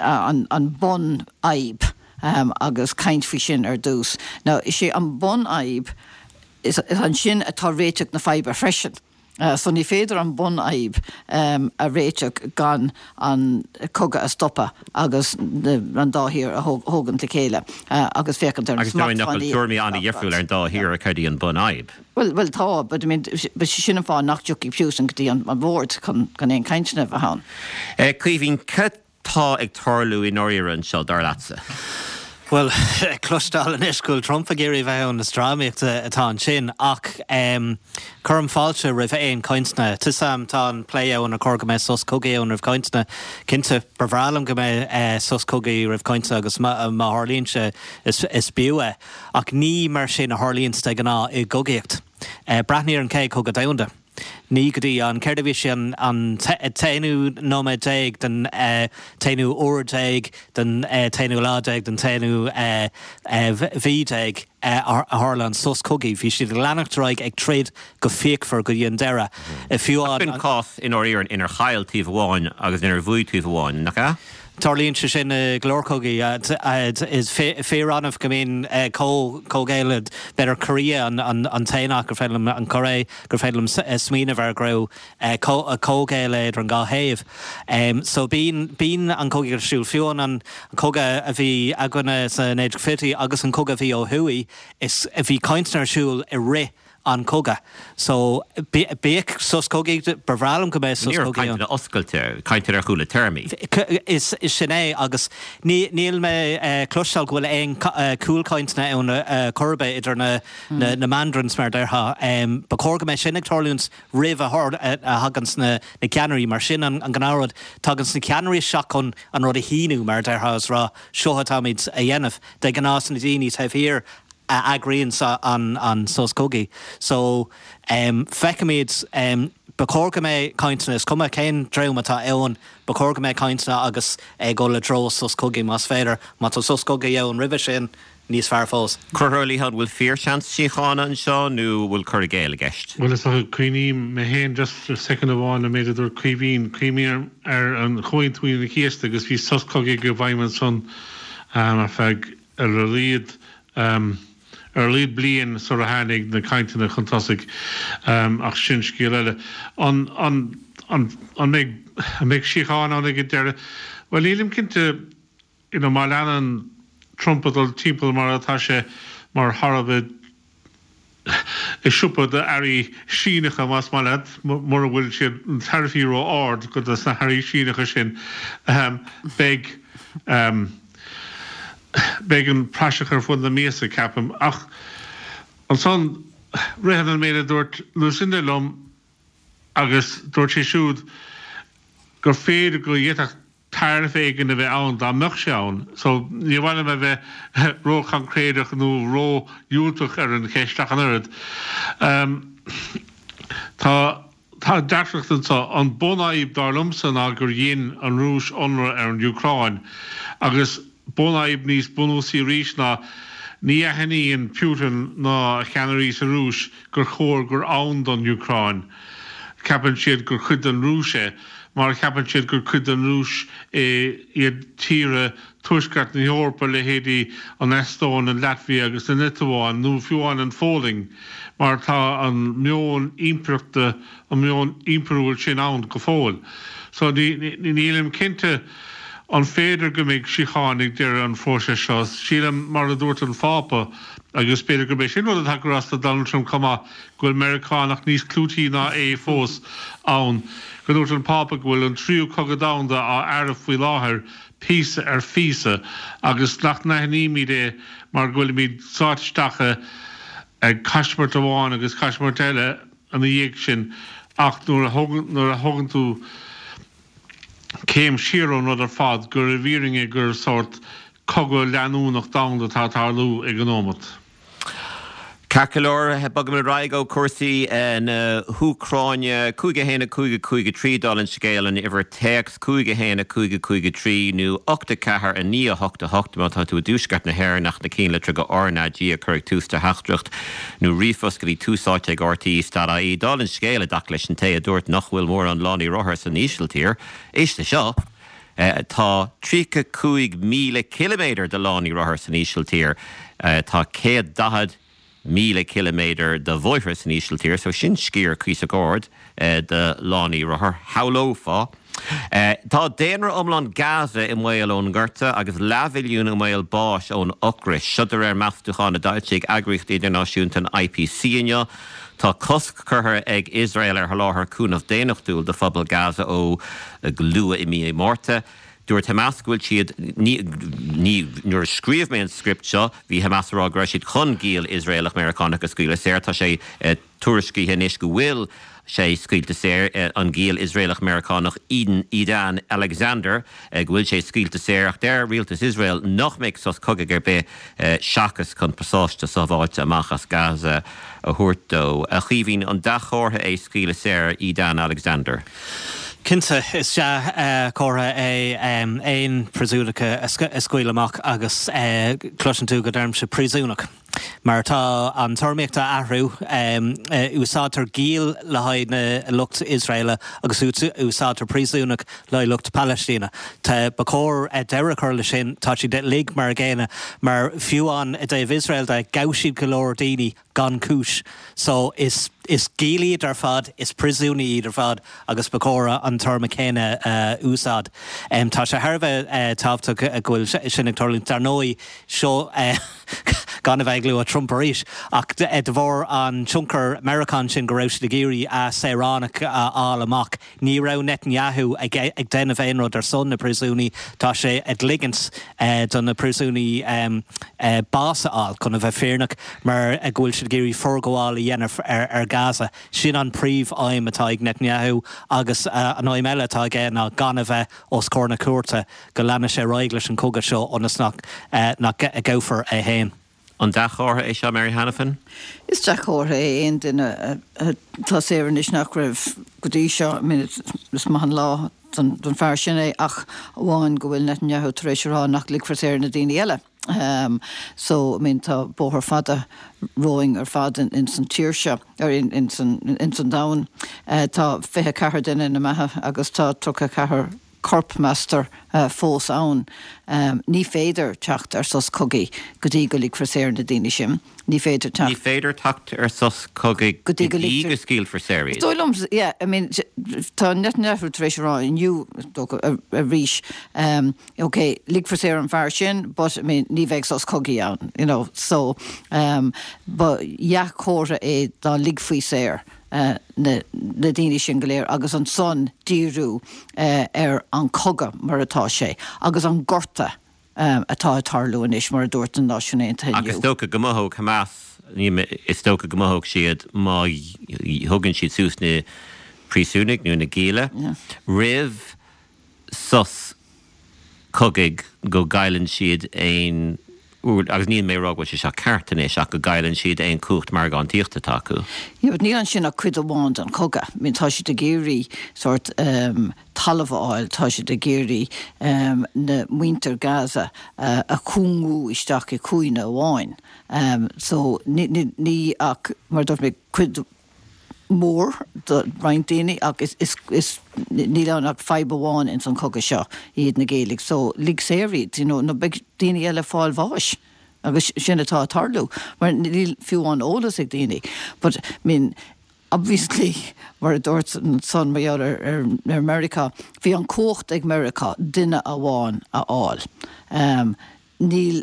an, an bunfhadhb. agus caint faoi sin ar dtús. Now, is é an bunfhadhb, is ansin atá réiteach na faidhbe freisin. So ní féidir an bunfhadhb a réiteach gan an cogadh a stopadh agus an dá thír a thógaint le chéile agus féachaint ar na Agus dar ndóigh nach bhfuil smachtbhannaí tuairimí an-dhifriúil ar an dá thír ar cad í an bunfhadhb. Bhuel, bhuel tá, but I mean, but sin an fáth nach dtiocfaidh Putin go dtí an bord chun aon cainteanna a bheith ann. Caoimhín, cad tá ag tarlú i ndáiríre anseo, dar leatsa? Bhuel, cloisteáil anois go bhfuil Trump ag iarraidh a bheith ann, is drámaíocht atá ansin, ach cuirim fáilte roimh aon chainteanna. Tá 'fhios a'm, tá an plé ann ar chóir go mbeadh sos cogaidh ann roimh chainteanna. Cinnte, ba bhreá liom go mbeadh sos cogaidh roimh chainteanna agus má tharlaíonn sé, is b'fhiú é. Ach ní mar sin a tharlaíonns de ghnáth i gcogaíocht. Breathnaigh ar an Chéad Chogadh Domhanda. Ní go dtí an, céard a bhí sé, an t-aonú nóiméad déag den t-aonú uair déag den t-aonú lá déag den t-aonú mhí déag a tharla an sos cogaidh. Bhí siad ag leanacht ar aghaidh ag troid go fíochmhar go dtí an deireadh. Fiú an. Sin cás i ndáiríre inar chaill taobh amháin agus inar bhuaigh taobh amháin, nach ea? Tarlaíonn sé sin i go leor cogaí. Is fíor-annamh go mbíonn comhghéilleadh, b'fhéidir Korea an t-aon áit gur féidir liom, an Chóiré, gur féidir liom smaoineamh air go raibh comhghéilleadh idir an dhá thaobh. So bíonn, bíonn an cogaíocht ar siúl. Fiú an cogadh a bhí againne sna 1920idí agus an cogadh a bhí ó thuaidh, is, bhí cainteanna ar siúl i rith an cogadh. So, bíodh sos cogaidh, ba bhreá liom go mbeadh sos Ní raibh cogaidh ann. cainteanna oscailte, cainteanna ar chúla téarmaí. Is sin é, agus níl mé ag cloisteáil go bhfuil aon cúlchainteanna ann chor ar bith idir na mandarins, mar a déarfá. Ba chóir go mbeadh sin ag tarlúint roimh a thaganns na ceannairí, mar sin an gnáthrud. Taganns na ceannairí isteach chun an rud a shíniú, mar a déarfá, is rá, seo atáimid a dhéanamh. De ghnáth is na daoine taobh thiar. a eagraíonn an sos cogaidh. So, feicfimid, ba chóir go mbeidh cainteanna, is cuma cén dream atá ann, ba chóir go mbeidh cainteanna agus ag dul i dtreo sos cogaidh más féidir. Má tá sos cogaidh ann roimhe sin, níos fearr fós. Conchúr Ó Liatháin, an bhfuil fíorsheans síochána anseo nó an bhfuil cur i gcéill i gceist? Bhuel, is dócha, cuimhním mé féin just soicind amháin an méid a dúirt Caoimhín, cuimhním ar an Chomhaontú Aoine an Chéasta agus bhí sos cogaidh i bhfeidhm ansan ar feadh ar a laghad ar a laghad bliain sar a tháinig na cainteanna chun tosaigh ach sin scéal eile. An an an an mbeidh an mbeidh síocháin ann ag an deireadh? Bhuel, nílim cinnte. You know, má leanann Trump ag dul timpeall mar atá sé, mar tharbh i siopa d'earraí Síneacha, más maith leat, mura bhfuil siad, na taraifí ró-ard do na hearraí Síneacha sin, beidh, beidh an praiseach ar fud na miasa, ceapaim. Ach ansan, ritheann an méid a dúirt Lucinda liom agus dúirt sí siúd gur féidir go bhféadfadh taraif éigin a bheith ann dá mbeadh sé ann. So, ní mhaith liom a bheith ró-choincréideach nó ró-dhiúltach ar an cheist ach an oiread. Tá, tá deacracht anseo. An bunfhadhb, dar liomsa, ná gur dhein an Rúis ionradh ar an Úcráin agus bunfhadhb níos bunúsaí arís ná ní aithníonn Putin ná a cheannairí sa Rúis gur chóir gur ann don Úcráin. Ceapann siad gur cuid den Rúis é, mar a cheapann siad gur cuid den Rúis é iad tíortha Tuaisceart na hEorpa, leithéidí an Eastóin, an Laitvia agus na Liotuáin, nó fiú amháin an Pholainn, mar tá an meon impireachta, an meon impiriúil sin ann go fóill. So nílim cinnte an féidir go mbeidh síocháin ag deireadh an phróisis seo. Sílim, mar a dúirt an Phápa, agus b'fhéidir gurb é sin rud atá ag cur as do Donald Trump chomh maith, go bhfuil Meiriceánach níos clúití ná é fós ann, go ndúirt an Pápa go bhfuil an tríú cogadh domhanda á fhearadh faoi láthair píosa ar phíosa agus nach n-aithnímid é mar go bhfuilimid sáite isteach i gcaismirt amháin agus caismirt eile ina dhiaidh sin ach nuair a thógann tú céim siar ón rud ar fad gur i bhfírinne gur sórt cogadh leanúnach domhanda atá ag tarlú ag an nóimeat. Ceart go leor, bogaimid ar aghaidh ó chúrsaí na hÚcráine. 5 1 5 5 3, dála an scéil, an uimhir téacs, 5 1 5 5 3 nó 8 4 9 8 8 má tá tú i dtuaisceart na hÉireann ach na cinnlitreacha RnaG a chur ag tús do theachtaireacht nó ríomhphost go dtí Tús Áite ag RTÉ dot ie. Dála an scéil, i dtaca leis an té a dúirt nach bhfuil mórán lánaí rothar san Ísiltír, éist leis seo! Tá 35,000 ciliméadar de lánaí rothar san Ísiltír. Tá 140,000 ciliméadar de bhóithre san Ísiltír, so sin sciar cuíosach ard de lánaí rothar, shamhlófá. Tá daonra iomlán Gaza i mbaol ón ngorta agus leathmhilliún i mbaol báis ón ocras. Seo de réir meastúchán a d'fhoilsigh eagraíocht idirnáisiúnta an IPC inniu. Tá cosc curtha ag Iosrael ar sholáthar cúnamh daonnachtúil do phobal Gaza ó go luath i mí Márta. Dúirt Hamas go bhfuil siad, ní, ní, nuair a scríobh mé an script seo, bhí Hamas ag rá go raibh siad chun giall Iosraelach-Meiriceánach a scaoileadh saor. Tá sé tuairiscithe anois go bhfuil sé scaoilte saor, an giall Iosraelach-Meiriceánach Eden, Edan Alexander, go bhfuil sé scaoilte saor ach deir rialtas Iosrael nach mbeidh sos cogaidh ar bith seachas chun pasáiste sábháilte amach as Gaza a thabhairt dó. A Chaoimhín, an dea-chomhartha é scaoileadh saor Edan Alexander? Cinnte, is dea-chomhartha é aon phríosúnach a scaoileadh amach agus cloiseann tú go ndeirimse príosúnach mar tá an téarmaíocht á athrú. Úsáidtear giall le haghaidh na lucht Iosraela agus úsáidtear príosúnach le haghaidh lucht Palaistíne. Tá, ba chóir deireadh a chur leis sin. Tá siad uilig mar a gcéanna mar fiú amháin i dtaobh Iosrael de, ghabh siad go leor daoine gan cúis. So is is giall iad ar fad, is príosúnaigh iad ar fad agus ba chóir an téarma céanna a úsáid. Tá sé thar a bheith tábhachtach go bhfuil sin ag tarlúint. Dar ndóigh, seo gan a bheith ag lua Trump arís, ach de bharr an tionchar Meiriceán sin go raibh siad ag iarraidh a saoránach a fháil amach, Ní raibh Netanyahu ag déanamh aon rud ar son na príosúnaigh, tá sé ag ligint do na príosúnaigh bás a fháil, chun a bheith fírinneach, mar go bhfuil siad ag iarraidh forghabháil a dhéanamh ar Gaza. Sin an príomh-aidhm atá ag Netanyahu agus an aidhm eile atá aige ná gan a bheith os comhair na cúirte, go leanfaidh sé ar aghaidh leis an chogadh seo ionas nach gabhfar é féin. An dea-chomhartha é seo, Mary Hanafin? Is dea-chomhartha é aon duine atá saor anois nach raibh go dtí seo. I mean, is maith an lá don fear sin é ach amháin go bhfuil Netanyahu tar éis a rá nach ligfear saor na daoine eile. So, I mean, tá bóthar fada romhainn ar fad ins an tír seo, ar ins an domhan. Tá 24 duine ina mbeatha agus tá 34 corp, meastar, fós ann. Ní féidir teacht ar sos cogaidh go dtí go ligfear saor na daoine sin. Ní féidir teacht. Ní féidir teacht ar sos cogaidh go dtí go scaoilfear saor iad. Is dóigh liom, yeah, I mean, tá Netanyahu tar éis a rá inniu, is dócha, arís, ok, ligfear saor an fear sin, but, I mean, ní bheidh sos cogaidh ann, you know, so, ba dhea-chomhartha é dá ligfí saor. na daoine sin go léir agus ansan díriú ar an cogadh mar atá sé agus an gorta atá ag tarlú anois mar a dúirt na Náisiúin Aontaithe inniu. Ach is dócha go mothódh Hamas, is dócha go mothódh siad má thugann siad suas na príosúnaigh nó na gialla roimh sos cogaidh go gcailleann siad aon, agus níl mé ag rá go bhfuil sé seo ceart anois, ach go gcailleann siad aon chumhacht margántaíochta atá acu. Yeah, but níl ansin ach cuid amháin den chogadh. I mean, tá siad ag iarraidh sórt talamh a fháil, tá siad ag iarraidh na muintir Gaza a chúngú isteach i cúinne amháin. So, ní ach, mar a dúirt mé, cuid mór do roinnt daoine ach is, is, is, níl ann ach fadhb amháin ins an chogadh seo, iad na gialla. So, lig saor iad, you know, nó beidh daoine eile ag fáil bháis agus sin atá ag tarlú mar níl fiú amháin eolas ag daoine. But, I mean, obviously, mar a dúirt ansan mar gheall ar, ar, ar Meiriceá, bhí an cumhacht ag Meiriceá duine amháin a fháil. Um, níl,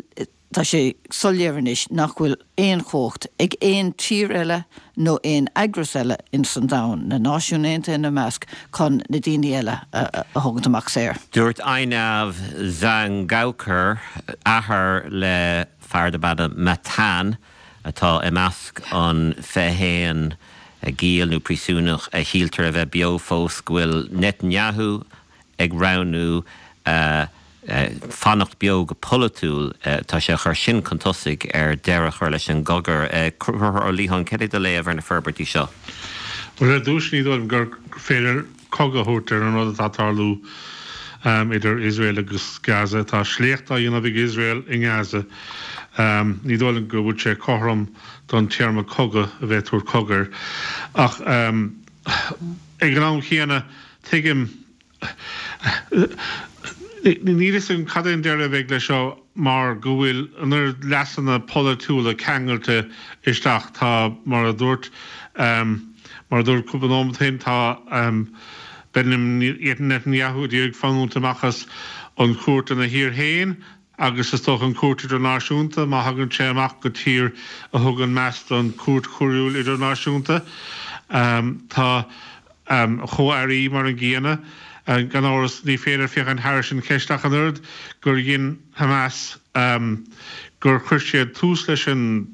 Tá sé soiléir anois nach bhfuil aon chumhacht ag aon tír eile nó aon eagras eile ins an domhan, na Náisiúin Aontaithe ina measc, chun na daoine eile a thógaint amach saor. Dúirt Einav Zangauker, athair le fear darb ainm Matan, atá i measc an 21 giall nó príosúnach a shíltear a bheith beo fós, go bhfuil Netanyahu ag roghnú fanacht beo go polaitiúil, tá sé a chur sin chun tosaigh ar deireadh a chur leis an gcogadh. Conchúr Ó Liatháin, cad é do léamh ar na forbairtí seo? Bhuel, ar dtús, ní dóigh liom gur féidir cogadh a thabhairt ar an rud atá ag tarlú idir Iosrael agus Gaza. Tá sléacht á dhéanamh ag Iosrael i nGaza. Ní dóigh liom go bhfuil sé cothrom don téarma cogadh a bheith ag tabhairt cogadh air. Ach ag an am chéanna, tuigim Níl a fhios agam cad é an deireadh a bheidh leis seo mar go bhfuil an oiread leasanna polaitiúla ceangailte isteach. Tá, mar a dúirt, mar a dúirt cúpla nóiméad ó shin, tá Benjamin Netanyahu ag iarraidh fanúint amach as an chúirt ina thír féin agus is dócha an Chúirt Idirnáisiúnta, má thagann sé amach go tír a thugann meas don Chúirt Choiriúil Idirnáisiúnta. Tá a chomh-airí mar an gcéanna. Gan amhras, ní féidir féachaint thairis an cheist ach an oiread gur dhein Hamas, gur chuir siad tús leis an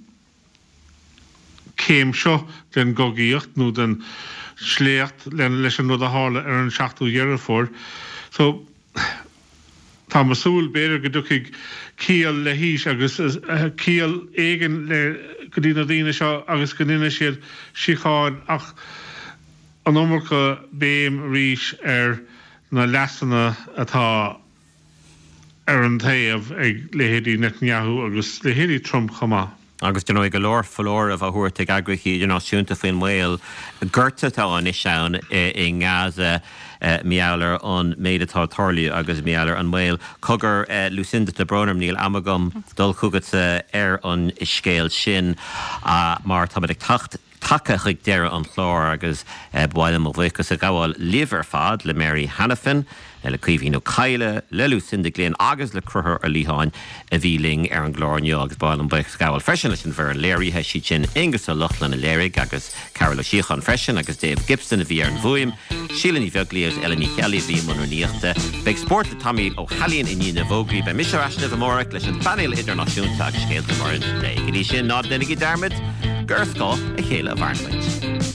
céim seo den gcogaíocht nó den sléacht leis an rud a tharla ar an 7ú Dheireadh Fómhair. So, táim ag súil, b'fhéidir, go dtiocfaidh ciall le haois agus ciall éigin le go dtí na daoine seo agus go ndéanfaidh siad síocháin ach an iomarca béim arís ar na leasanna atá ar an taobh ag leithéidí Netanyahu agus leithéidí Trump chomh maith. Agus dar ndóigh go leor foláireamh á thabhairt ag eagraíochtaí idirnáisiúnta faoin mbaol gorta atá anois ann i nGaza mar gheall ar an méid atá ag tarlú agus mar gheall ar an mbaol. Cogar, Lucinda, tá brón orm, níl am agam dul chugatsa ar an scéal sin mar táimid ag teacht tagtha chuig deireadh an chláir agus ba mhaith liom mo bhuíochas a ghabháil libh ar fad, le Mary Hanafin, le Caoimhín Ó Cadhla, le Lucinda Glynn agus le Conchúr Ó Liatháin a bhí linn ar an gclár inniu agus ba mhaith liom buíochas a ghabháil freisin leis an bhfoireann léirithe, siad sin Aonghus Ó Lochlainn a léirigh agus Carol Ó Síocháin freisin agus Dave Gibson a bhí ar an bhfuaim, Síle Ní Bheaglaoí agus Ellen Ní Cheallaigh a bhí i mbun rúnaíochta. Beidh Spórt le Tommy Ó hAilín i ndiaidh na bhfógraí. Beidh mise ar ais libh amárach leis an bpainéal idirnáisiúnta agus scéalta móra an lae. Go dtí sin, ná déanaigí dearmad gur ar scáth a chéile a mhaireann muid.